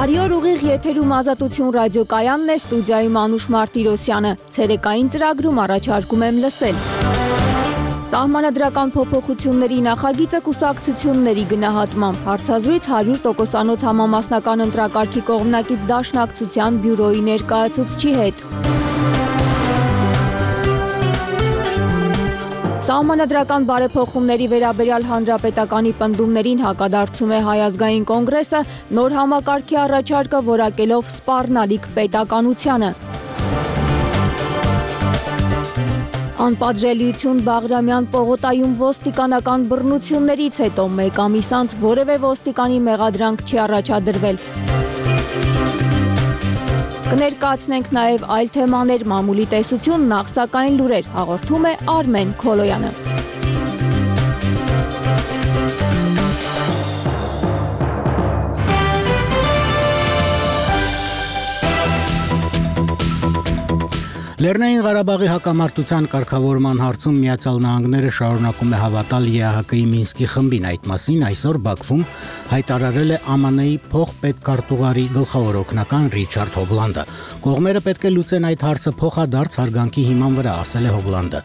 Բարի օր, ուղիղ եթերում Ազատություն ռադիոկայանն է, ստուդիայում Անուշ Մարտիրոսյանը։ Ցերեկային ծրագրում առաջարկում եմ լսել. Սահմանադրական փոփոխությունների նախագիծը կուսակցությունների գնահատմամբ, հարցազրույց 100%-անոց համամասնական ընտրակարգի կողմնակից Դաշնակցության բյուրոյի ներկայացուցչի հետ։ Սահմանադրական բարեփոխումների վերաբերյալ հանրապետականի պնդումներին հակադարձում է Հայ ազգային կոնգրեսը, նոր համակարգի առաջարկը որակելով սպառնալիք պետականությանը։ Անպատժելիություն Բաղրամյան պողոտայում ոստիկանական բռնություններից հետո մեկ ամիս անց որևէ ոստիկանի մեղադրանք չի առաջադրվել։ Կներկայացնենք նաև այլ թեմաներ, մամուլի տեսություն, նախ սակայն լուրեր, հաղորդում է Արմեն Քոլոյանը։ Լեռնային Ղարաբաղի հակամարտության կարգավորման հարցում Միացյալ Նահանգները շարունակում է հավատալ ԵԱՀԿ-ի Մինսկի խմբին, այդ մասին այսօր Բաքվում հայտարարել է ԱՄՆ-ի փոխպետքարտուղարի գլխավոր օգնական Ռիչարդ Հոգլանդը։ Կողմերը պետք է լուծեն այդ հարցը փոխադարձ հարգանքի հիման վրա, ասել է Հոգլանդը։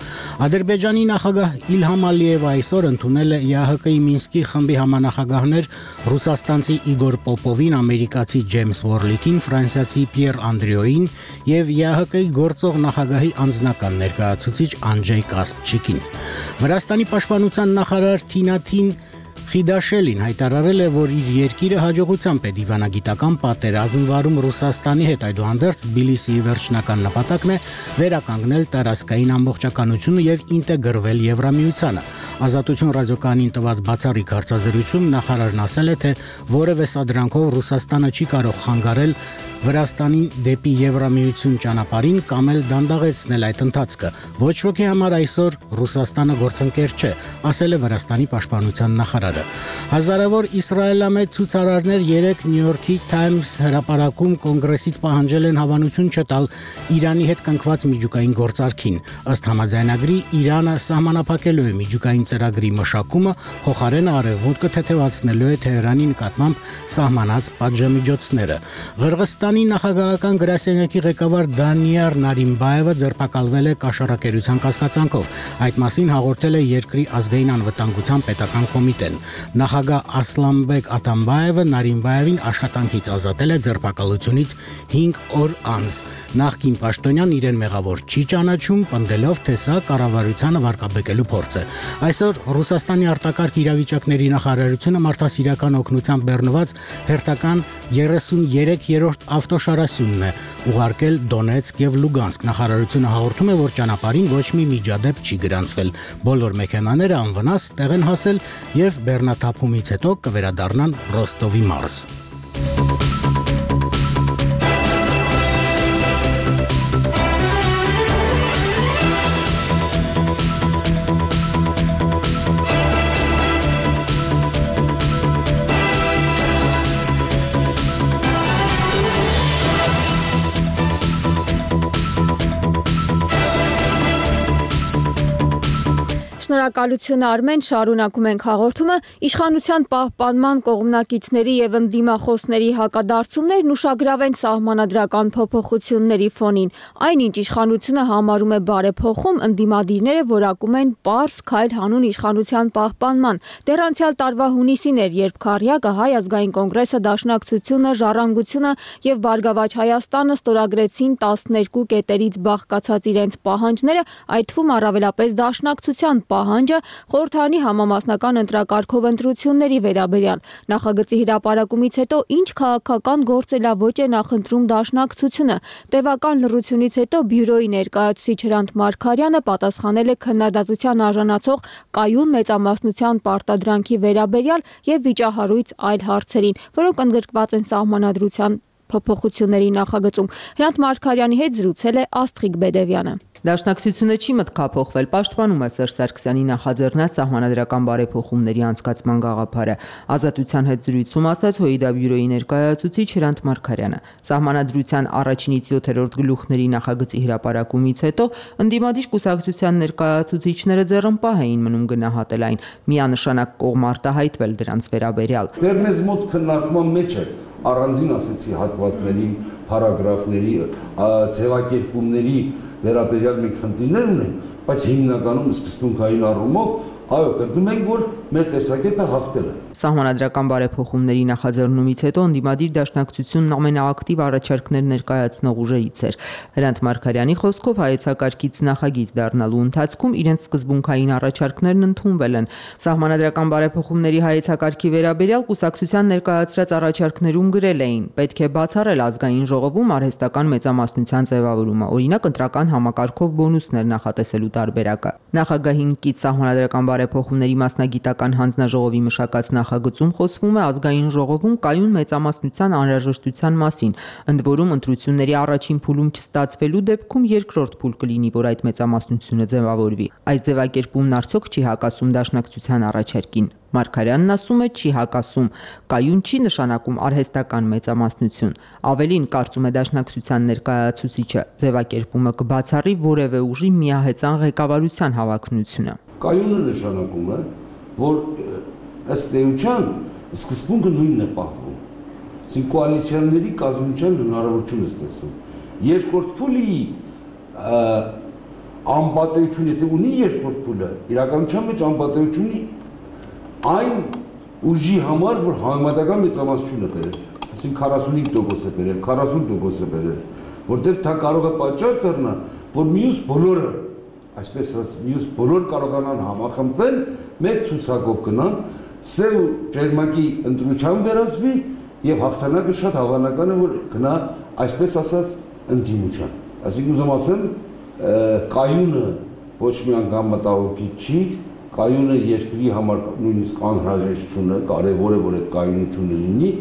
Ադրբեջանի նախագահ Իլհամ Ալիևը այսօր ընդունել է ԵԱՀԿ-ի Մինսկի խմբի համանախագահներ ռուսաստանցի Իգոր Պոպովին, ամերիկացի Ջեյմս Վորլիկին, ֆրանսիացի Պիեր Անդրեոին եւ ԵԱՀԿ-ի գործող նախագահի անձնական ներկայացուցիչ Անջեյ Կասպչիկին։ Վրաստանի պաշտպանության նախարար Թինաթին Խիդաշելին հայտարարել է, որ իր երկիրը հաջողությամբ է դիվանագիտական պատերազմ վարում Ռուսաստանի հետ, այդուհանդերձ Թբիլիսիի վերջնական նպատակն է վերականգնել տարածքային ամբողջականությունը եւ ինտեգրվել Եվրամիությանը։ Ազատություն ռադիոկայանին տված բացառիկ հարցազրույցում նախարարն ասել է, թե որևէ սադրանքով Ռուսաստանը չի կարող խանգարել Վրաստանին դեպի Եվրամիություն ճանապարհին կամ էլ դանդաղեցնել այդ ընթացքը։ Ոչ ոքի համար այսօր Ռուսաստանը գործընկեր չէ, ասել է Վրաստանի պաշտպանության նախարարը։ Հազարավոր իսրայելամետ ցուցարարներ 3 Նյու Յորքի Times հրապարակում կոնգրեսից պահանջել են հավանություն չտալ Իրանի հետ կնքված միջուկային գործարքին։ Ըստ համաձայնագրի Իրանը սահմանափակելու է միջուկային ծրագրի մշակումը, փոխարենը արևմուտքը թեթևացնելու է Թեհրանի նկատմամբ սահմանած պատժամիջոցները։ Ղրղստանի նախագահական գրասենյակի ղեկավար Դանիար Նարիմբաևը ձերբակալվել է կաշառակերության կասկածանքով։ Այդ մասին հաղորդել է երկրի ազգային անվտանգության պետական կոմիտեն։ Նախագահ Ասլանբեկ Աթամբաևը Նարիմբաևին աշխատանքից ազատել է ձերբակալությունից 5 օր անց։ Նախկին պաշտոնյան իրեն մեղավոր չի ճանաչում, պնդելով, թե սա կառավարությանը վարկաբեկելու փորձ է։ Այսօր Ռուսաստանի արտակարգ իրավիճակների նախարարությունը մարդասիրական օգնությամբ բեռնված հերթական 33-րդ ավտոշարասյունն է ուղարկել Դոնեցկ եւ Լուգանսկ։ Նախարարությունը հաղորդում է, որ ճանապարհին ոչ մի միջադեպ չի գրանցվել։ Բոլոր մեքենաները անվնաս տեղ են հասել եւ բեռնաթափումից հետո կվերադառնան Ռոստովի մարզ։ Շնորհակալություն Արմեն, շարունակում ենք հաղորդումը։ Իշխանության պահպանման կողմնակիցների եւ ընդդիմախոսների հակադարձումներն ուշագրավ են սահմանադրական փոփոխությունների ֆոնին։ Այնինչ իշխանությունը համարում է բարեփոխում, ընդդիմադիրները որակում են պարզ քայլ հանուն իշխանության պահպանման։ Դեռ անցյալ տարվա հունիսին էր, երբ Քարյակը, Հայ ազգային կոնգրեսը, Դաշնակցությունը, Ժառանգությունը եւ Բարգավաճ Հայաստանը ստորագրեցին 12 կետերից բաղկացած իրենց պահանջները, այդ թվում առավելապես Դաշնակցության պահանջը խորհրդարանի համամասնական ընտրակարգով ընտրությունների վերաբերյալ։ Նախագծի հրապարակումից հետո ինչ քաղաքական գործելավոճ է նախընտրում Դաշնակցությունը։ Տևական լռությունից հետո բյուրոյի ներկայացուցիչ Հրանտ Մարգարյանը պատասխանել է քննադատության արժանացող կայուն մեծամասնության պարտադրանքի վերաբերյալ եւ վիճահարույց այլ հարցերին, որոնք ընդգրկված են սահմանադրության փոփոխությունների նախագծում։ Հրանտ Մարգարյանի հետ զրուցել է Աստղիկ Բեդևյանը։ Դաշնակցությունը չի մտքափոխվել, պաշտպանում է Սերժ Սարգսյանի նախաձեռնած սահմանադրական բարեփոխումների անցկացման գաղափարը։ Ազատության հետ զրույցում ասաց ՀՅԴ բյուրոյի ներկայացուցիչ Հրանտ Մարգարյանը։ Սահմանադրության առաջինից 7-րդ գլուխների նախագծի հրապարակումից հետո ընդդիմադիր կուսակցության ներկայացուցիչները ձեռնպահ էին մնում գնահատել այն, միանշանակ կողմ արտահայտվել դրանց վերաբերյալ։ Դեռ մեզ մոտ քննարկման մեջ է առանձին ասեցի հատվածների, փարագրաֆների, ձևակերպումների վերաբերյալ մենք խնդիրներ ունենք, բայց հիմնականում սկզբունքային առումով այո, գտնում ենք, որ մեր տեսակետը հաղթել է։ Սահմանադրական բարեփոխումների նախաձեռնումից հետո ընդդիմադիր դաշնակցությունն ամենաակտիվ առաջարկներ ներկայացնող ուժերից էր։ Հրանտ Մարգարյանի խոսքով հայեցակարգից նախագիծ դառնալու ընթացքում իրենց սկզբունքային առաջարկներն ընդունվել են։ Սահմանադրական բարեփոխումների հայեցակարգի վերաբերյալ կուսակցության ներկայացրած առաջարկներում գրել էին. պետք է բացառել ազգային ժողովում արհեստական մեծամասնության ձևավորումը, օրինակ ընտրական համակարգով բոնուսներ նախատեսելու տարբերակը։ Նախագահին կից սահմանադրական բարեփոխումների մասնագիտական հանձնաժողովի մշակած նախագծում խոսվում է ազգային ժողովում կայուն մեծամասնության անհրաժեշտության մասին, ընդ որում ընտրությունների առաջին փուլում չստացվելու դեպքում երկրորդ փուլ կլինի, որ այդ մեծամասնությունը ձևավորվի։ Այս ձևակերպումն արդյոք չի հակասում դաշնակցության առաջարկին։ Մարգարյանն ասում է, չի հակասում, կայուն չի նշանակում արհեստական մեծամասնություն։ Ավելին, կարծում է դաշնակցության ներկայացուցիչը, ձևակերպումը կբացառի որևէ ուժի միահեծան ղեկավարության հավակնությունը։ Կայունը նշանակում է, որ ըստ էության սկզբունքը նույնն է պահվում։ Այսինքն կոալիցիաների կազմության հնարավորություն է ստեղծվում։ Երկրորդ փուլի անպատեություն, եթե ունի երկրորդ փուլը, իրականության մեջ անպատեություն ունի այն ուժի համար, որ համեմատական մեծամասնություն է բերել, այսինքն 45% է բերել, 40% է բերել, որտեղ դա կարող է պատճառ դառնա, որ մյուս բոլորը, այսպես ասած, մյուս բոլոր կարողանան համախմբվել, մեկ ցուցակով գնան, սև ու ջերմակի ընտրության վերածվի եւ հաղթանակը շատ հավանական է, որ գնա, այսպես ասած, ընդդիմության։ Այսինքն ուզում ասեմ, կայունը ոչ մի անգամ մտահոգիչ չի, կայունը երկրի համար նույնիսկ անհրաժեշտություն է, կարևոր է, որ այդ կայունությունը լինի։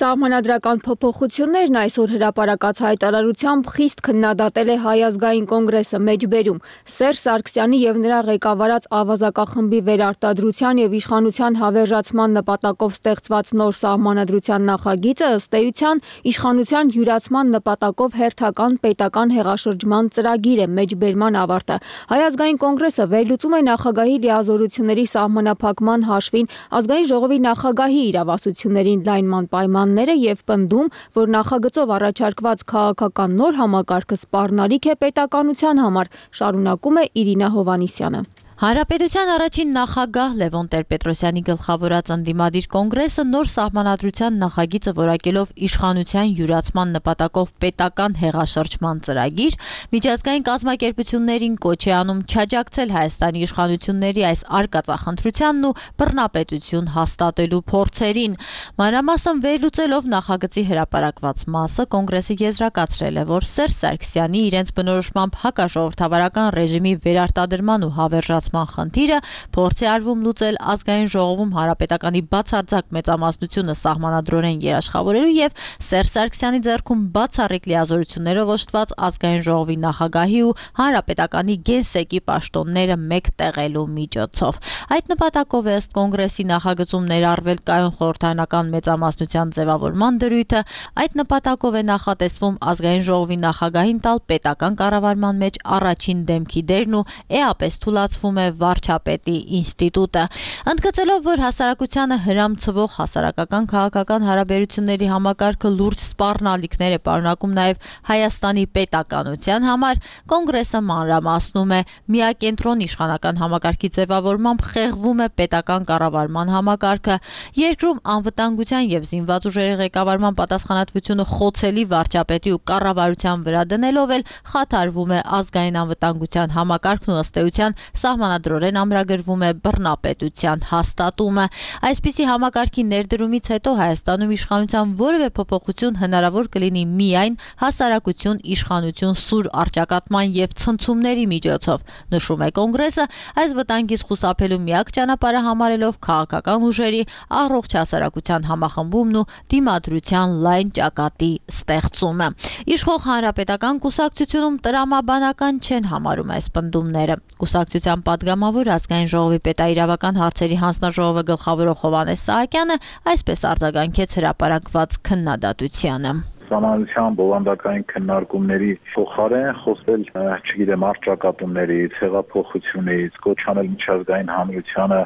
Սահմանադրական փոփոխություններն այսօր հրապարակած հայտարարությամբ խիստ քննադատել է Հայ ազգային կոնգրեսը մեջբերում։ Սերժ Սարգսյանի եւ նրա ղեկավարած ավազակախմբի վերարտադրության եւ իշխանության հավերժացման նպատակով ստեղծված նոր սահմանադրության նախագիծը ըստ էության իշխանության յուրացման նպատակով հերթական պետական հեղաշրջման ծրագիր է մեջբերման ավարտը։ Հայ ազգային կոնգրեսը վերլուծում է նախագահի լիազորությունների սահմանափակման հաշվին ազգային ժողովի նախագահի իրավասություններին լայնման պայման եւ պնդում, որ նախագծով առաջարկված քաղաքական նոր համակարգը սպառնալիք է պետականության համար, շարունակում է Իրինա Հովանիսյանը։ Հանրապետության առաջին նախագահ Լևոն Տեր-Պետրոսյանի գլխավորած ընդդիմադիր կոնգրեսը նոր սահմանադրության նախագիծը որակելով իշխանության յուրացման նպատակով պետական հեղաշրջման ծրագիր, միջազգային կազմակերպություններին կոչ է անում չաջակցել Հայաստանի իշխանությունների այս արկածախնդրությանն ու բռնապետություն հաստատելու փորձերին։ Մանրամասն վերլուծելով նախագծի հրապարակված մասը, կոնգրեսը եզրակացրել է, որ Սերժ Սարգսյանի իրենց բնորոշմամբ հակաժողովրդավարական ռեժիմի վերարտադրման ու հավերժացման խնդիրը փորձ է արվում լուծել ազգային ժողովում հանրապետականի բացարձակ մեծամասնությունը սահմանադրորեն երաշխավորելու եւ Սերժ Սարգսյանի ձեռքում բացառիկ լիազորություններով օժտված ազգային ժողովի նախագահի ու հանրապետականի գենսեկի պաշտոնները մեկ տեղելու միջոցով։ Այդ նպատակով է ըստ կոնգրեսի նախագծում ներառվել կայուն խորհրդարանական մեծամասնության ձևավորման դրույթը, այդ նպատակով է նախատեսվում ազգային ժողովի նախագահին տալ պետական կառավարման մեջ առաջին դեմքի դերն ու էապես թույլատվում է վարչապետի ինստիտուտը։ Ընդգծելով, որ հասարակությանը հրամցվող հասարակական քաղաքական հարաբերությունների համակարգը լուրջ սպառնալիքներ է պարունակում նաև Հայաստանի պետականության համար, կոնգրեսը մանրամասնում է միակենտրոն իշխանական համակարգի ձևավորմամբ խեղվում է պետական կառավարման համակարգը, երկրում անվտանգության եւ զինված ուժերի ղեկավարման պատասխանատվությունը խոցելի վարչապետի ու կառավարության վրա դնելով էլ խաթարվում է ազգային անվտանգության համակարգն ու ըստ էության սահմանադրորեն ամրագրվում է բռնապետության հաստատումը։ Այսպիսի համակարգի ներդրումից հետո Հայաստանում իշխանության որևէ փոփոխություն հնարավոր կլինի միայն հասարակություն իշխանություն սուր առճակատման եւ ցնցումների միջոցով, նշում է կոնգրեսը, այս վտանգից խուսափելու միակ ճանապարհը համարելով քաղաքական ուժերի առողջ հասարակության համախմբումն ու դիմադրության լայն ճակատի ստեղծումը։ Իշխող հանրապետական կուսակցությունում տրամաբանական չեն համարում այս պնդումները։ Կուսակցության պատգամավոր ազգային ժողովի պետաիրավական հարցերի հանձնաժողովը գլխավորող Հովհաննես Սահակյանը այսպես արձագանքեց հրապարակված քննադատությանը։ Սահմանադրության բովանդակային քննարկումների փոխարեն խոսել, չգիտեմ, առճակատումներից, հեղափոխությունից, կոչ անել միջազգային հանրությանը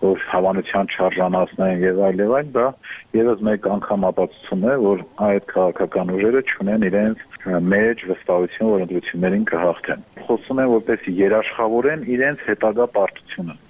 որ հավանության չարժանացնեն եւ այլ, դա եւս մեկ անգամ ապացուցում է, որ այդ քաղաքական ուժերը չունեն իրենց մեջ վստահություն, որ ընտրություններին կհաղթեն։ Խոսում են, որպեսզի երաշխավորեն իրենց հետագա պարտությունը։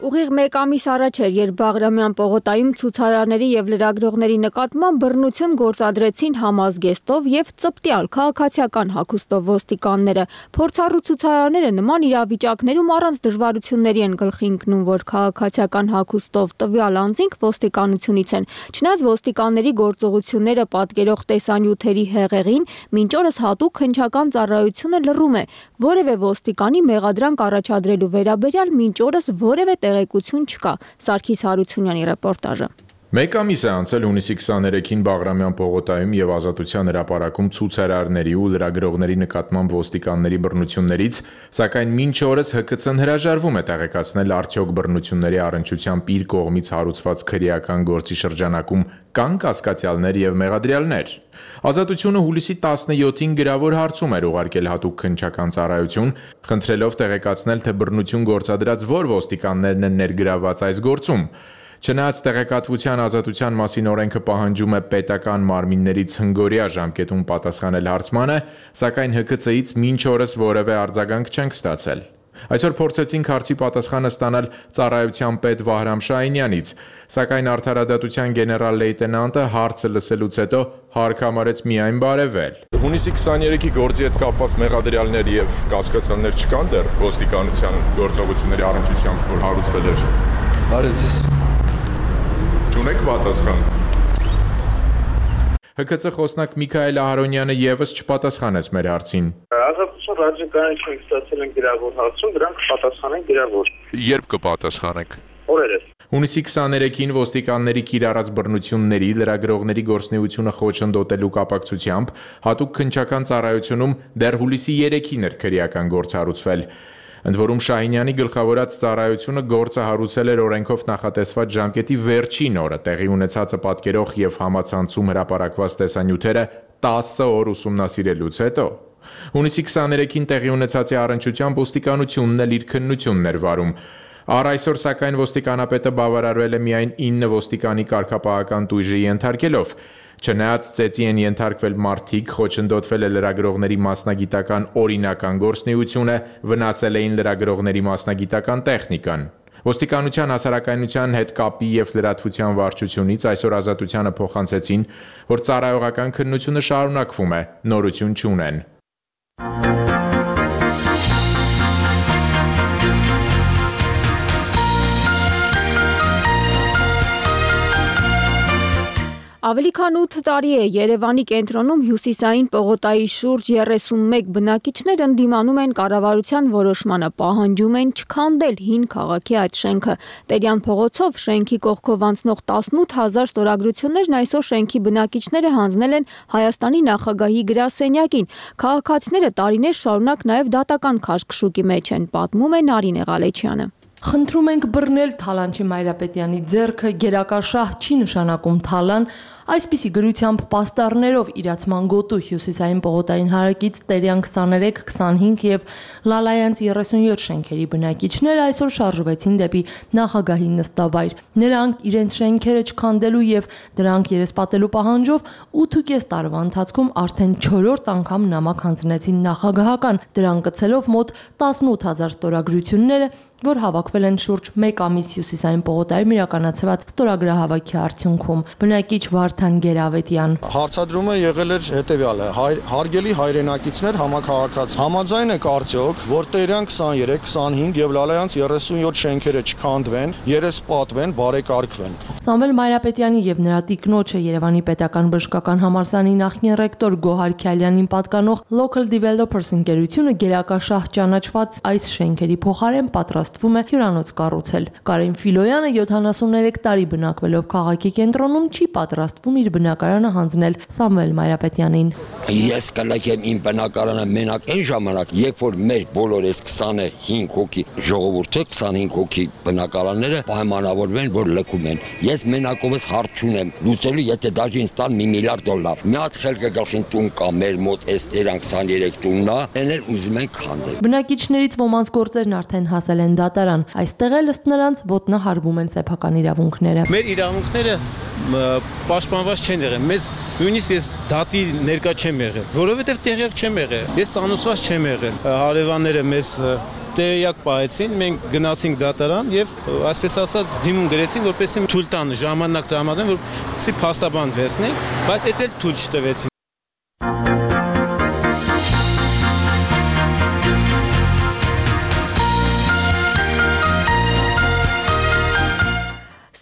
Ուղիղ մեկ ամիս առաջ էր, երբ Բաղրամյան պողոտայում ցուցարարների եւ լրագրողների նկատմամբ բռնություն գործադրեցին համազգեստով եւ ծպտյալ քաղաքացիական հագուստով ոստիկանները։ Փորձառու ցուցարարները նման իրավիճակներում առանց դժվարությունների են գլխի ընկնում, որ քաղաքացիական հագուստով տվյալ անձինք ոստիկանությունից են։ Չնայած ոստիկանների գործողությունները պատկերող տեսանյութերի հեղեղին, մինչ օրս հատուկ քննչական ծառայությունը լռում է։ Որևէ ոստիկանի մեղադրանք առաջադրելու վերաբերյալ մինչ օրս որևէ տեղեկություն չկա։ Սարգիս Հարությունյանի ռեպորտաժը։ Մեկ ամիս է անցել հունիսի 23-ին Բաղրամյան պողոտայում եւ Ազատության հրապարակում ցուցարարների ու լրագրողների նկատմամբ ոստիկանների բռնություններից, սակայն մինչ օրս ՀԿՑ-ն հրաժարվում է տեղեկացնել արդյոք բռնությունների առնչությամբ իր կողմից հարուցված քրեական գործի շրջանակում կան կասկածյալներ եւ մեղադրյալներ։ Ազատությունը հուլիսի 17-ին գրավոր հարցում էր ուղարկել հատուկ քննչական ծառայություն, խնդրելով տեղեկացնել, թե բռնություն գործադրած որ ոստիկաններն են ներգրավված այս գործում։ Չնայած տեղեկատվության ազատության մասին օրենքը պահանջում է պետական մարմիններից հնգօրյա ժամկետում պատասխանել հարցմանը, սակայն ՀԿՑ-ից մինչ օրս որևէ արձագանք չենք ստացել։ Այսօր փորձեցինք հարցի պատասխանը ստանալ ծառայության պետ Վահրամ Շահինյանից, սակայն արդարադատության գեներալ լեյտենանտը հարցը լսելուց հետո հարկ համարեց միայն բարևել։ Հունիսի 23-ի գործի հետ կապված մեղադրյալներ եւ կասկածյալներ չկան դեռ ոստիկանության գործողությունների առնչությամբ, որ հարուցվել էր։ Բարեցես։ Չունեք պատասխան։ ՀԿՑ խոսնակ Միքայել Ահարոնյանը եւս չպատասխանեց մեր հարցին։ Ազատություն ռադիոկայություն ստացել են գրավոր հարցում, դրանք կպատասխանեն գրավոր։ Երբ կպատասխանեք։ Օրերս։ Հունիսի 23-ին ոստիկանների կիրառած բռնությունների լրագրողների գործունեությունը խոչընդոտելու կապակցությամբ հատուկ քննչական ծառայությունում դեռ հուլիսի 3-ին էր քրեական գործ հարուցվել։ Ընդ որում Շահինյանի գլխավորած ծառայությունը գործը հարուցել էր օրենքով նախատեսված ժամկետի վերջին օրը, տեղի ունեցածը պատկերող եւ համացանցում հրապարակված տեսանյութերը 10 օր ուսումնասիրելուց հետո։ Հունիսի 23-ին տեղի ունեցածի առնչությամբ ոստիկանությունն էլ իր քննությունն էր վարում։ Առ այսօր սակայն ոստիկանապետը բավարարվել է միայն 9 ոստիկանի կարգապահական տույժի ենթարկելով։ Չնայած ծեծի են ենթարկվել մարդիկ, խոչընդոտվել է լրագրողների մասնագիտական օրինական գործունեությունը, վնասել էին լրագրողների մասնագիտական տեխնիկան։ Ոստիկանության հասարակայնության հետ կապի եւ լրատվության վարչությունից այսօր Ազատությանը փոխանցեցին, որ ծառայողական քննությունը շարունակվում է, նորություն չունեն։ Ավելի քան 8 տարի է Երևանի կենտրոնում հյուսիսային պողոտայի շուրջ 31 բնակիչներ ընդդիմանում են կառավարության որոշմանը, պահանջում են չքանդել հին քաղաքի այդ շենքը։ Տերյան փողոցով շենքի կողքով անցնող 18000 ստորագրություններն այսօր շենքի բնակիչները հանձնել են Հայաստանի նախագահի գրասենյակին։ Քաղաքացիները տարիներ շարունակ նաև դատական քաշքշուկի մեջ են, պատմում է Նարինե Ղալեչյանը։ Խնդրում ենք բռնել Թալանչի Մայրապետյանի ձեռքը, գերակաշահ չի նշանակում Թալան, այսպիսի գրությամբ պաստառներով իրացման գոտու հյուսիսային պողոտային հարակից Տերյան 23, 25 եւ Լալայանց 37 շենքերի բնակիչները այսօր շարժվեցին դեպի նախագահի նստավայր։ Նրանք իրենց շենքերը չքանդելու եւ դրանք երեսպատելու պահանջով 8.5 տարվա ընթացքում արդեն 4-րդ անգամ նամակ հանձնեցին նախագահական, դրան գցելով մոտ 18000 ստորագրությունները, որ հավաքվել են շուրջ 1 ամիս հյուսիսային պողոտայում իրականացված ստորագրահավաքի արդյունքում։ Բնակիչ Վարդան Գերավետյան. Հարցադրումը եղել էր հետևյալը. հարգելի հայրենակիցներ, համաքաղաքացի, համաձայն եք արդյոք, որ Տերյան 23, 25 եւ Լալայանց 37 շենքերը չքանդվեն, երեսպատվեն, բարեկարգվեն։ Սամվել Մայրապետյանի եւ նրա տիկնոջը Երևանի պետական բժշկական համալսարանի նախկին ռեկտոր Գոհար Քյալյանին պատկանող Local Developers ընկերությունը գերակաշահ ճանաչված այս շենքերի փոխարեն պատրաստվում է հյուրանոց կառուցել։ Կարեն Ֆիլոյանը 73 տարի բնակվելով քաղաքի կենտրոնում չի պատրաստվում պատրաստվում իր բնակարանը հանձնել Սամվել Մայրապետյանին։ Ես կլեկեմ իմ բնակարանը մենակ այն ժամանակ, երբ որ մեր բոլոր այս 25 հոգի ժողովուրդը, 25 հոգի բնակարանները պայմանավորվեն, որ լքում են։ Ես մենակովս հարց չունեմ լուծելու, եթե դաժե ինձ տան $1 միլիարդ։ Մի հատ խելքը գլխին տուն կա մեր մոտ այս 23 տունն է, այն էլ ուզում են քանդել։ Բնակիչներից ոմանց գործերն արդեն հասել են դատարան։ Այստեղ էլ ըստ նրանց ոտնահարվում են սեփական իրավունքները։ Մեր իրավունքները պաշտպանված չեն եղել։ Մեզ նույնիսկ ես դատի ներկա չեմ եղել, որովհետև տեղյակ չեմ եղել։ Ես ծանոթված չեմ եղել։ Հարևանները մեզ տեղյակ պահեցին, մենք գնացինք դատարան եւ այսպես ասած դիմում գրեցին, որպեսզի թույլ տան ժամանակ տրամադրեն, որպեսզի փաստաբան վերցնենք, բայց դա էլ թույլ չտվեցին։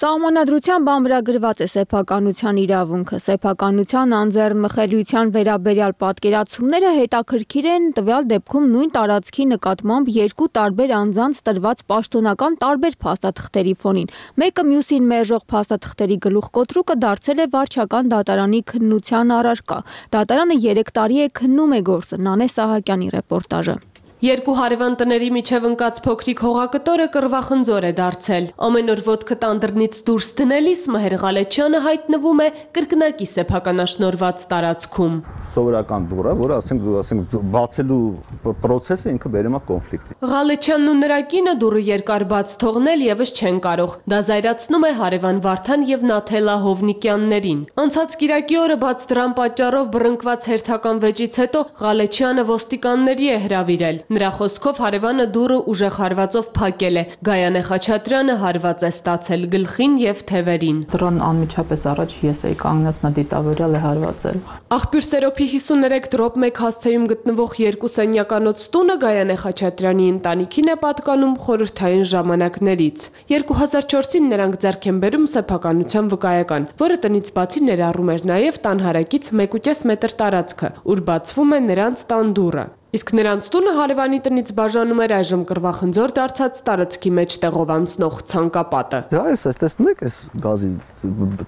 Սահմանադրությամբ ամրագրված է սեփականության իրավունքը։ Սեփականության անձեռնմխելիության վերաբերյալ պատկերացումները հետաքրքիր են տվյալ դեպքում նույն տարածքի նկատմամբ երկու տարբեր անձանց տրված պաշտոնական տարբեր փաստաթղթերի ֆոնին։ Մեկը մյուսին մերժող փաստաթղթերի գլուխկոտրուկը դարձել է վարչական դատարանի քննության առարկա։ Դատարանը 3 տարի է քննում է գործը։ Նանե Սահակյանի ռեպորտաժը։ Երկու հարևան տների միջև ընկած փոքրիկ հողակտորը կռվախնձոր է դարձել։ Ամեն օր ոտքը տանդրնից դուրս դնելիս Մհեր Ղալեչյանը հայտնվում է կրկնակի սեփականաշնորհված տարածքում։ Սովորական դուռը, որը ասենք բացելու process-ը ինքը բերում է կոնֆլիկտի։ Ղալեչյանն ու նրա կինը դուռը երկար բաց թողնել եւս չեն կարող։ Դա զայրացնում է հարևան Վարդան եւ Նաթելա Հովնիկյաններին։ Անցած կիրակի օրը բաց դրան պատճառով բռնկված հերթական վեճից հետո Ղալեչյանը ոստիկանների է հրավիրել։ Նրա խոսքով հարևանը դուռը ուժեղ հարվածով փակել է։ Գայանե Խաչատրյանը հարված է ստացել գլխին եւ թևերին։ Դրան անմիջապես առաջ ես էի կանգնած, նա դիտավորյալ է հարվածել։ Աղբյուր Սերոփի 53 դրոպ 1 հասցեում գտնվող 2 սենյականոց տունը Գայանե Խաչատրյանի ընտանիքին է պատկանում խորհրդային ժամանակներից։ 2004-ին նրանք ձեռք են բերում սեփականության վկայական, որը տնից բացի ներառում էր նաեւ տան հարակից 1.5 մետր տարածքը, ուր բացվում է նրանց տան դուռը։ Իսկ նրանց տունը հարևանի տնից բաժանում էր այժմ կռվախնձոր դարձած տարածքի մեջ տեղով անցնող ցանկապատը։ Դա էս տեսնում եք, այս գազի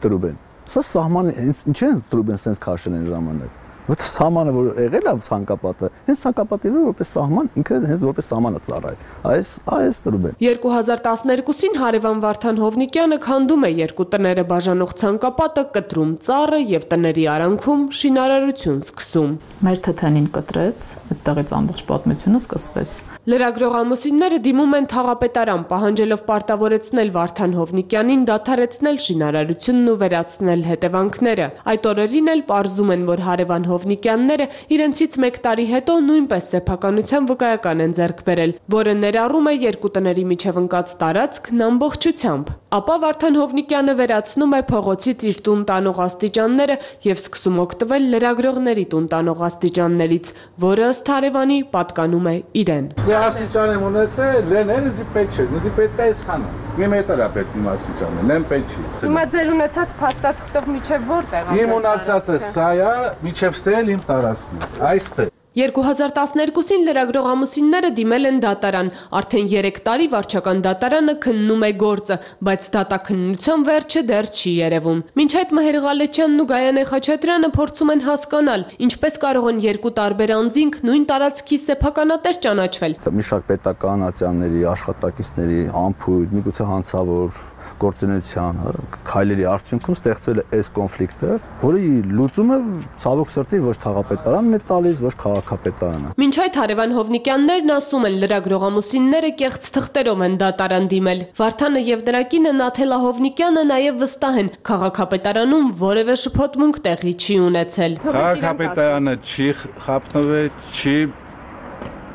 տրուբեն։ Սա սահմանը ինչ են տրուբեն sense քաշել են ժամանակ։ Որտե սահմանը որ եղել է ցանկապատը, հենց ցանկապատի վրա որպես սահման ինքը հենց որպես սահմանը ծառայ։ Այս տրուբեն։ 2012-ին հարևան Վարդան Հովնիկյանը քանդում է երկու տները բաժանող ցանկապատը, կտրում ծառը եւ տների արանքում շինարարություն սկսում։ Մեր թթենին կտրեց, այդտեղից ամբողջ պատմությունը սկսվեց։ Լրագրող ամուսինները դիմում են թաղապետարան, պահանջելով պարտավորեցնել Վարդան Հովնիկյանին դադարեցնել շինարարությունն ու վերացնել հետևանքները։ Այդ օրերին էլ պարզում են, որ հարևան Հովնիկյանները իրենցից 1 տարի հետո նույնպես սեփականության վկայական են ձեռք բերել, որը ներառում է երկու տների միջև ընկած տարածքն ամբողջությամբ։ Ապա Վարդան Հովնիկյանը վերացնում է փողոցից իր տուն տանող աստիճանները եւ սկսում օգտվել լրագրողների տուն տանող աստիճաններից, որը ըստ հարևանի պատկանում է իրեն։ Աստիճան եմ ունեցել, լենել ինձ պետք չէ, ինձ պետք է այսքանը։ Մի մետր է պետք իմ աստիճանը, լեն պետք չի։ Հիմա ձեր ունեցած փաստաթղթով միջև որտեղ է։ Իմ ունեցածը սա է, միջև ստել իմ տարածքի։ Այստեղ 2012-ին լրագրող ամուսինները դիմել են դատարան, արդեն 3 տարի վարչական դատարանը քննում է գործը, բայց դատաքննության վերջը դեռ չի երևում։ Մինչ այդ Մհեր Ղալեչյանն ու Գայանե Խաչատրյանը փորձում են հասկանալ, ինչպես կարող են երկու տարբեր անձինք նույն տարածքի սեփականատեր ճանաչվել։ Մի շարք պետական ատյանների, աշխատակիցների, ամփույթ, միգուցե հանցավոր գործունեության քայլերի արդյունքում ստեղծվել է այս կոնֆլիկտը, որի լուծումը ցավոք սրտի ոչ թաղապետարանն է տալիս, ոչ քաղաքապետարանը։ Մինչ այդ հարևան Հովնիկյաններն ասում են, լրագրող ամուսինները կեղծ թղթերով են դատարան դիմել։ Վարդանը եւ նրա կինը Նաթելա Հովնիկյանը նաեւ վստահ են, քաղաքապետարանում որևէ շփոթմունք տեղի չի ունեցել։ Քաղաքապետարանը չի խափնվել, չի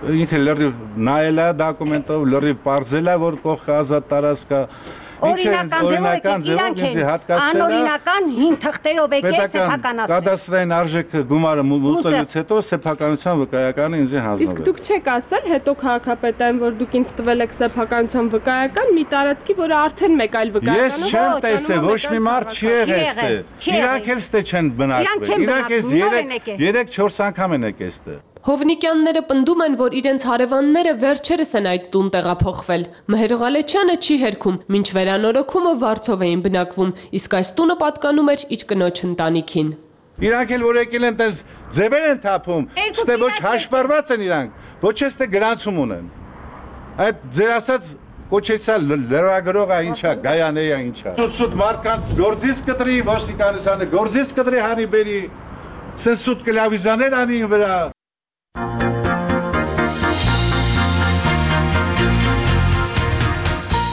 ինքը լրիվ նայել է դոկումենտով, լրիվ պարզել է, որ կողքը ազատ տարածք է։ Օրինական ձևով ինձ հատկացրել է անօրինական հին թղթերով եկել սեփականացնել։ Կադաստրային արժեքը գումարը մուծելուց հետո սեփականության վկայականը ինձ հանձնվել։ Իսկ դուք չեք ասել հետո քաղաքապետային, որ դուք ինձ տվել եք սեփականության վկայական մի տարածքի, որը արդեն մեկ այլ վկայական է։ Ես չեմ տեսել, ոչ մի մարդ չի եղել այստեղ։ Իրանք էլ ստե չեն բնակվել։ Իրանք էս 3-4 անգամ են եկել այստեղ։ Հովնիկյանները պնդում են, որ իրենց հարևանները վերջերս են այդ տուն տեղափոխվել։ Մհեր Ղալեչյանը չի հերքում, մինչ վերանորոգումը Վարձով էին բնակվում, իսկ այս տունը պատկանում էր իր կնոջ ընտանիքին։ Իրանք էլ որ եկել են տես ձևեր են թափում, ստե ոչ հաշվառված են իրանք, ոչ էստե գրանցում ունեն։ Այդ ձեր ասած կոչեցա լրագրողը ինչա, գայանեյա ինչա։ Սուտ մարդկանց գործից կտրի, ոստիկանությանը գործից կտրի հանի բերի, սեն սուտ կլավիզաներ անին վրա։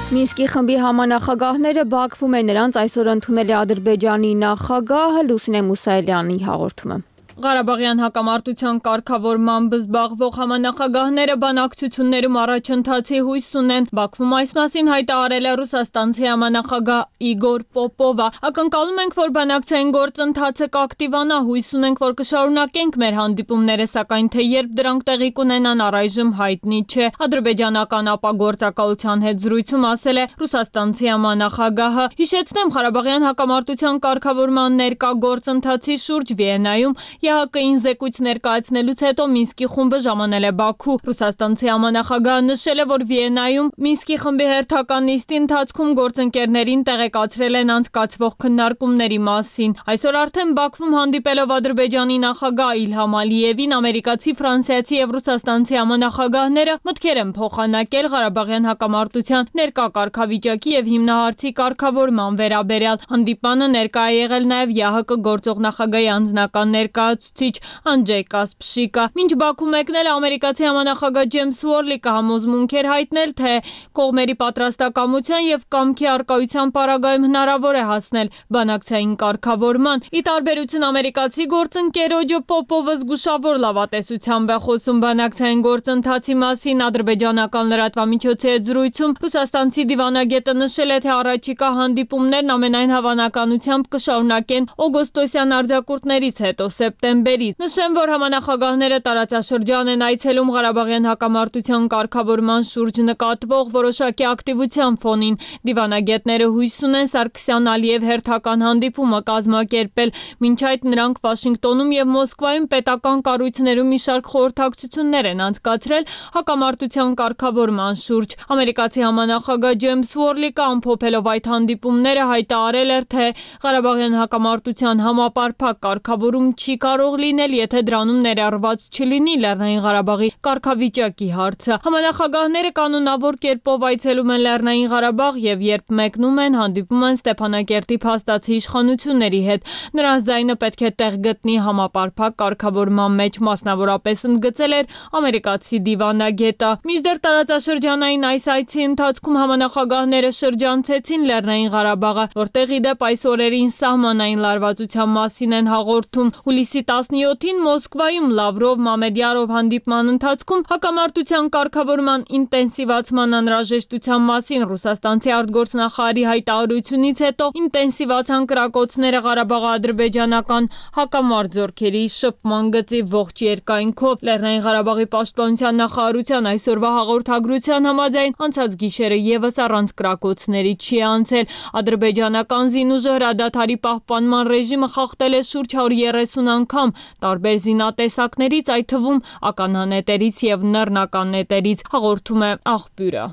Մինսկի խմբի համանախագահները Բաքվում են նրանց այսօր ընդունել է Ադրբեջանի նախագահը Լուսինե Մուսայելյանի հաղորդումը։ Ղարաբաղյան հակամարտության կարգավորմամբ զբաղվող համանախագահները բանակցություններում առաջընթացի հույս ունեն։ Բաքվում այս մասին հայտարարել է Ռուսաստանցի համանախագահ Իգոր Պոպովը։ Ակնկալում ենք, որ բանակցային գործընթացը կակտիվանա, հույս ունենք, որ կշարունակենք մեր հանդիպումները, սակայն թե երբ դրանք տեղի կունենան առայժմ հայտնի չէ։ Ադրբեջանական ապագործակալության հետ զրույցում ասել է Ռուսաստանցի համանախագահը։ Հիշեցնեմ, Ղարաբաղյան հակամարտության կարգավորման ներկա գործընթացի շուրջ Վիեննայում ՀՀԿ-ին զեկույց ներկայացնելուց հետո Մինսկի խումբը ժամանել է Բաքու։ Ռուսաստանցի համանախագահը նշել է, որ Վիեննայում Մինսկի խմբի հերթական նիստի ընթացքում գործընկերներին տեղեկացրել են անցկացվող քննարկումների մասին։ Այսօր արդեն Բաքվում հանդիպելով Ադրբեջանի նախագահ Իլհամ Ալիևին, ամերիկացի, ֆրանսիացի եւ ռուսաստանցի համանախագահները մտքեր են փոխանակել Ղարաբաղյան հակամարտության ներկա կարգավիճակի եւ հիմնահարցի կարգավորման վերաբերյալ։ Հանդիպանը ներկա է եղել նաեւ ՀՀԿ գործող նախագահի անձնական ներկայացուցիչ Անջեյ Կասպշիկը։ Մինչ Բաքու մեկնել է ամերիկացի համանախագահ Ջեյմս Ուորլիկը համոզմունք էր հայտնել, թե կողմերի պատրաստակամության եւ կամքի առկայության պարագայում հնարավոր է հասնել բանակցային կարգավորման։ Ի տարբերություն ամերիկացի գործընկերոջը Պոպովը զգուշավոր լավատեսությամբ է խոսում բանակցային գործընթացի մասին։ Ադրբեջանական լրատվամիջոցի հետ զրույցում ռուսաստանցի դիվանագետը նշել է, թե առաջիկա հանդիպումներն ամենայն հավանականությամբ կշարունակեն օգոստոսյան արձակուրդներից հետո սեպտեմբերից։ Նշեմ, որ համանախագահները տարածաշրջան են այցելում Ղարաբաղյան հակամարտության կարգավորման շուրջ նկատվող որոշակի ակտիվության ֆոնին։ Դիվանագետները հույս ունեն Սարգսյան-Ալիև հերթական հանդիպումը կազմակերպել։ Մինչ այդ նրանք Վաշինգտոնում եւ Մոսկվայում պետական կառույցներում մի շարք խորհրդակցություններ են անցկացրել հակամարտության կարգավորման շուրջ։ Ամերիկացի համանախագահ Ջեյմս Ուորլիկը ամփոփելով այդ հանդիպումները հայտարարել էր, թե Ղարաբաղյան հակամարտության համապարփակ կարգավորում չի կարող լինել, եթե դրանում ներառված չլինի Լեռնային Ղարաբաղի կարգավիճակի հարցը։ Համանախագահները կանոնավոր կերպով այցելում են Լեռնային Ղարաբաղ եւ երբ մեկնում են, հանդիպում են Ստեփանակերտի փաստացի իշխանությունների հետ։ Նրանց ձայնը պետք է տեղ գտնի համապարփակ կարգավորման մեջ, մասնավորապես ընդգծել էր ամերիկացի դիվանագետը։ Մինչդեռ տարածաշրջանային այս այցի ընթացքում համանախագահները շրջանցեցին Լեռնային Ղարաբաղը, որտեղ ի դեպ այս օրերին սահմանային լարվածության մասին են հաղորդում։ Հուլիսի 17-ին Մոսկվայում Լավրով Մամեդյարով հանդիպման ընթացքում հակամարտության կարգավորման ինտենսիվացման անհրաժեշտության մասին ռուսաստանցի արտգործնախարարի հայտարարությունից հետո ինտենսիվացան կրակոցները Ղարաբաղ-ադրբեջանական հակամարտ զորքերի շփման գծի ողջ երկայնքով։ Լեռնային Ղարաբաղի պաշտպանության նախարարության այսօրվա հաղորդագրության համաձայն անցած գիշերը եւս առանց կրակոցների չի անցել։ Ադրբեջանական զինուժը հրադադարի պահպանման ռեժիմը խախտել է շուրջ 130 անգամ տարբեր զինատեսակներից, այդ թվում ականանետերից եւ նռնականետերից, հաղորդում է աղբյուրը։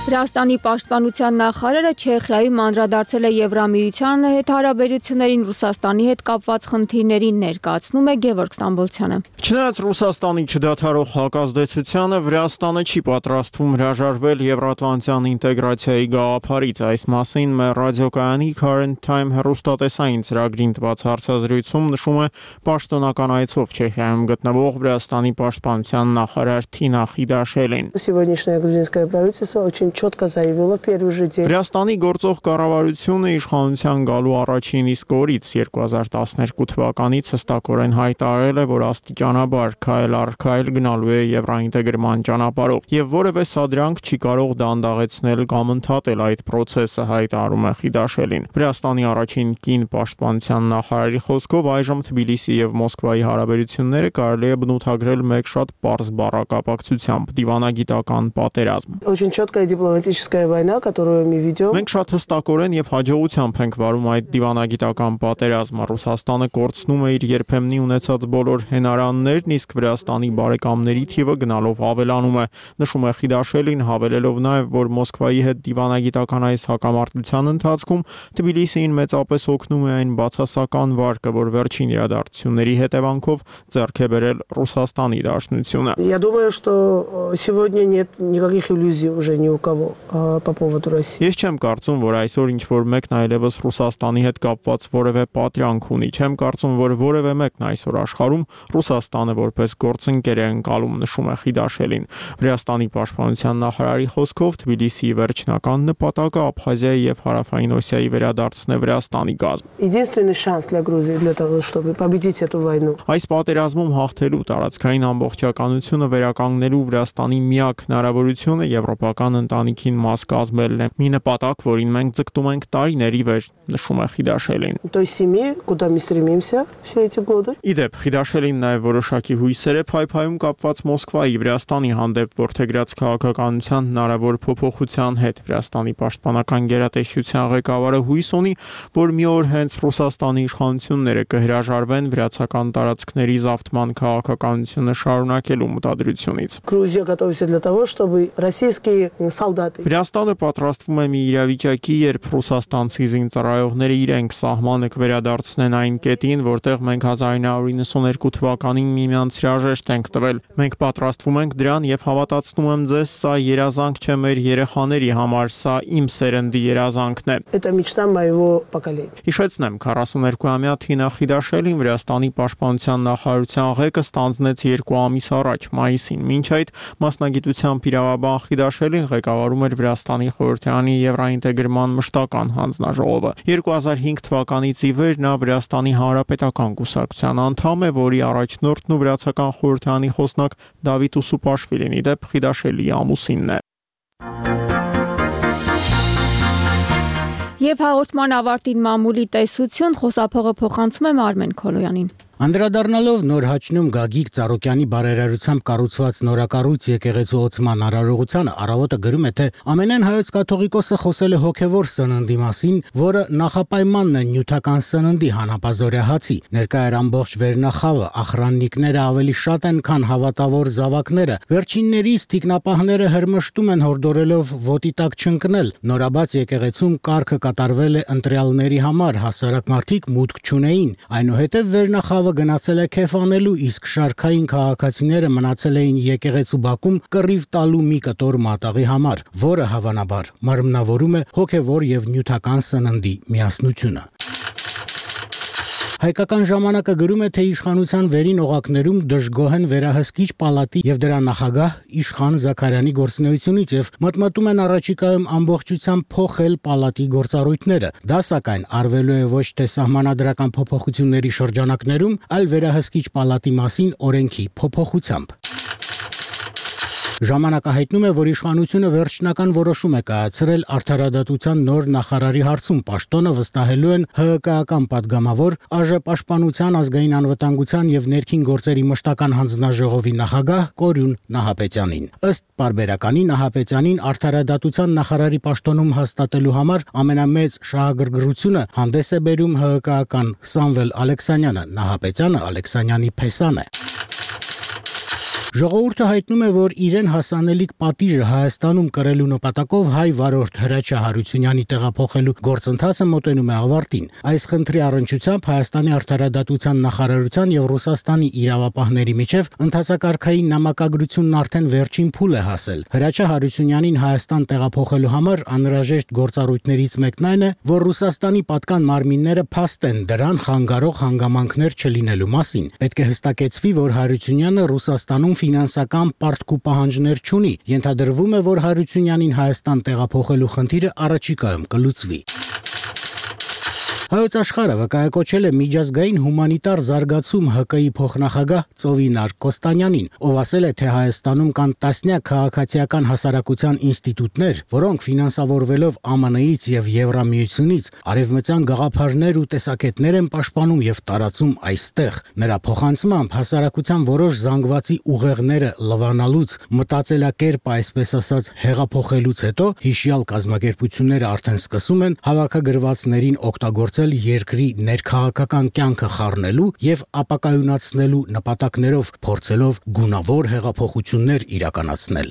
Վրաստանի պաշտպանության նախարարը Չեխիայում անդրադարձել է Եվրամիության հետ հարաբերություններին Ռուսաստանի հետ կապված խնդիրներին ներկայացնում է Գևորգ Ստամբոլցյանը։ Չնայած Ռուսաստանի չդադարող հակազդեցությանը, Վրաստանը չի պատրաստվում հրաժարվել Եվրատլանտյան ինտեգրացիայի գաղափարից։ Այս մասին մեր ռադիոկայանի Current Time հեռուստատեսային ծրագրին տված հարցազրույցում նշում է պաշտոնական այցով Չեխիայում գտնվող Վրաստանի պաշտպանության նախարար Թինա Խիդաշելին։ Сегодняшнее грузинское правительство очень четко заявила в первый же день. Վրաստանի գործող կառավարությունը իշխանության գալու առաջին իսկ օրից 2012 թվականից հստակորեն հայտարարել է, որ աստիճանաբար քայլ առ քայլ գնալու է եվրոինտեգրման ճանապարհով եւ որևէ սադրանք չի կարող դանդաղեցնել կամ ընդհատել այդ process-ը, հայտարարում է Խիդաշելին։ Վրաստանի առաջին կին պաշտպանության նախարարի խոսքով այժմ Թբիլիսի եւ Մոսկվայի հարաբերությունները կարելի է բնութագրել մեկ շատ պարզ բառակապակցությամբ՝ դիվանագիտական պատերազմ։ Очень четкая дипломатическая война, которую мы ведем. Մենք շատ հստակորեն եւ հաջողությամբ ենք վարում այդ դիվանագիտական պատերազմը։ Ռուսաստանը կորցնում է իր երբեմնի ունեցած բոլոր հենարաններն, իսկ Վրաստանի բարեկամների թիվը գնալով ավելանում է։ Նշում է Խիդաշելին, հավելելով նաեւ, որ Մոսկվայի հետ դիվանագիտական այս հակամարտության ընթացքում Թբիլիսիին մեծապես օգնում է այն բացասական վարկը, որ վերջին իրադարձությունների հետևանքով ձեռք է բերել Ռուսաստանի Դաշնությունը։ Я думаю, что сегодня нет никаких иллюзий уже ни у кого по поводу России. Ես չեմ կարծում, որ այսօր ինչ որ մեկն այլևս Ռուսաստանի հետ կապված որևէ պատրանք ունի։ Չեմ կարծում, որ որևէ մեկն այսօր աշխարհում Ռուսաստանը որպես գործընկեր է ընկալում, նշում է Խիդաշելին։ Վրաստանի պաշտպանության նախարարի խոսքով Թբիլիսիի վերջնական նպատակը Աբխազիայի եւ Հարավային Օսիայի վերադարձն է Վրաստանի կազմ։ Единственный шанс для Грузии для того, чтобы победить эту войну. Այս պատերազմում հաղթելու տարածքային ամբողջականությունը վերականգնելու Վրաստանի միակ հնարավորությունը եվրոպական ընտանիքին մաս կազմելն է։ Մի նպատակ, որին մենք ձգտում ենք տարիների վեր, նշում է Խիդաշելին։ Той семьи, куда мы стремимся все эти годы. Իդեպ Խիդաշելին նաև որոշակի հույսեր է փայփայում կապված Մոսկվայի Վրաստանի հանդեպ որդեգրած քաղաքականության հնարավոր փոփոխության հետ։ Վրաստանի պաշտպանական գերատեսչության ղեկավարը հույս ունի, որ մի օր հենց Ռուսաստանի իշխանությունները կհրաժարվեն վրացական տարածքների զավթման քաղաքականությունը շարունակելու մտադրությունից։ Грузия готовится для того, чтобы российские солдаты. Վրաստանը պատրաստվում է մի իրավիճակի, երբ ռուսաստանցի զինծառայողները իրենք սահմանը կվերադարձնեն այն կետին, որտեղ մենք 1992 թվականին միմյանց հրաժեշտ ենք տվել։ Մենք պատրաստվում ենք դրան եւ հավատացնում եմ ձեզ, սա երազանք չէ մեր երեխաների համար, սա իմ սերնդի երազանքն է։ Это мечта моего поколения. Հիշեցնեմ, 42-ամյա Թինա Խիդաշելին Վրաստանի պաշտպանության նախարարության ղեկը ստանձնեց 2 ամիս առաջ, մայիսին։ Մինչ այդ մասնագիտությամբ իրավաբան Խիդաշելին ղեկավարում էր Վրաստանի խորհրդարանի եվրոինտեգրման մշտական հանձնաժողովը։ 2005 թվականից ի վեր նա Վրաստանի Հանրապետական կուսակցության անդամ է, որի առաջնորդն ու վրացական խորհրդարանի խոսնակ Դավիթ Ուսուպաշվիլին իդեպ Խիդաշելիի ամուսինն է։ Եվ հաղորդման ավարտին մամուլի տեսություն խոսափողը փոխանցում է Արմեն Քոլոյանին։ Անդրադառնալով նոր հաճնում Գագիկ Ծառուկյանի բարերարությամբ կառուցված նորակառույց եկեղեցու ոցման արարողությանը առավոտը գրում է, թե ամենայն հայոց կաթողիկոսը խոսել է հոգևոր սննդի մասին, որը նախապայմանն է նյութական սննդի հանապազորյա հացի։ Ներկա էր ամբողջ վերնախավը, ախրաննիկները ավելի շատ են, քան հավատավոր զավակները։ Վերջիններից թիկնապահները հրմշտում են հորդորելով ոտի տակ չընկնել։ Նորաբաց եկեղեցում կարգը կատարվել է ընտրյալների համար, հասարակ մարդիկ մուտք չունեին։ Այնուհետև վերնախավը գնացել է քեֆ անելու, իսկ շարքային քաղաքացիները մնացել էին եկեղեցու բակում կռիվ տալու մի կտոր մատաղի համար, որը հավանաբար մարմնավորում է հոգևոր եւ նյութական սննդի միասնությունը։ Հայկական ժամանակը գրում է, թե իշխանության վերին օղակներում դժգոհ են վերահսկիչ պալատի եւ դրա նախագահ Իշխան Զաքարյանի գործունեությունից եւ մտմտում են առաջիկայում ամբողջությամբ փոխել պալատի գործառույթները։ Դա սակայն արվելու է ոչ թե սահմանադրական փոփոխությունների շրջանակներում, այլ վերահսկիչ պալատի մասին օրենքի փոփոխությամբ։ Ժամանակը հայտնում է, որ իշխանությունը վերջնական որոշում է կայացրել արդարադատության նոր նախարարի հարցում։ Պաշտոնը վստահելու են ՀՀԿ-ական падգամավոր ԱԺ պաշտպանության, ազգային անվտանգության եւ ներքին գործերի մշտական հանձնաժողովի նախագահ Կորյուն Նահապետյանին։ Ըստ պարբերականի Նահապետյանին արդարադատության նախարարի պաշտոնում հաստատելու համար ամենամեծ շահագրգռությունը հանդես է բերում ՀՀԿ-ական Սամվել Ալեքսանյանը։ Նահապետյանը Ալեքսանյանի փեսան է։ Ժողովուրդը հայտնում է, որ իրեն հասանելիք պատիժը Հայաստանում կրելու նպատակով հայ վարորդ Հրաչյա Հարությունյանի տեղափոխելու գործընթացը մոտենում է ավարտին։ Այս խնդրի առնչությամբ Հայաստանի արդարադատության նախարարության եւ Ռուսաստանի իրավապահների միջև ընթացակարգային նամակագրությունն արդեն վերջին փուլ է հասել։ Հրաչյա Հարությունյանին Հայաստան տեղափոխելու համար անհրաժեշտ գործառույթներից մեկն այն է, որ Ռուսաստանի պատկան մարմինները փաստեն դրան խանգարող հանգամանքներ չլինելու մասին։ Պետք է հստակեցվի, որ Հարությունյանը Ռուսաստանում ֆինանսական պարտք ու պահանջներ չունի։ Ենթադրվում է, որ Հարությունյանին Հայաստան տեղափոխելու խնդիրը առաջիկայում կլուծվի։ Հայոց աշխարհը վկայակոչել է միջազգային հումանիտար զարգացում ՀԿ-ի փոխնախագահ Ծովինար Կոստանյանին, ով ասել է, թե Հայաստանում կան տասնյակ քաղաքացիական հասարակության ինստիտուտներ, որոնք ֆինանսավորվելով ԱՄՆ-ից եւ Եվրամիությունից արևմտյան գաղափարներ ու տեսակետներ են պաշտպանում եւ տարածում այստեղ։ Նրա փոխանցմամբ հասարակության որոշ զանգվածի ուղեղները լվանալուց, մտածելակերպը այսպես ասած հեղափոխելուց հետո հիշյալ կազմակերպությունները արդեն սկսում են հավաքագրվածներին օգտագործել երկրի ներքաղաքական կյանքը խառնելու եւ ապակայունացնելու նպատակներով, փորձելով գունավոր հեղափոխություններ իրականացնել։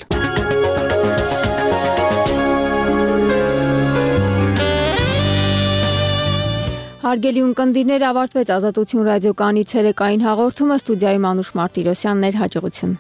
Հարգելի ունկնդիրներ, ավարտվեց Ազատություն ռադիոկայանի ցերեկային հաղորդումը, ստուդիայում Անուշ Մարտիրոսյանն էր, հաջողություն։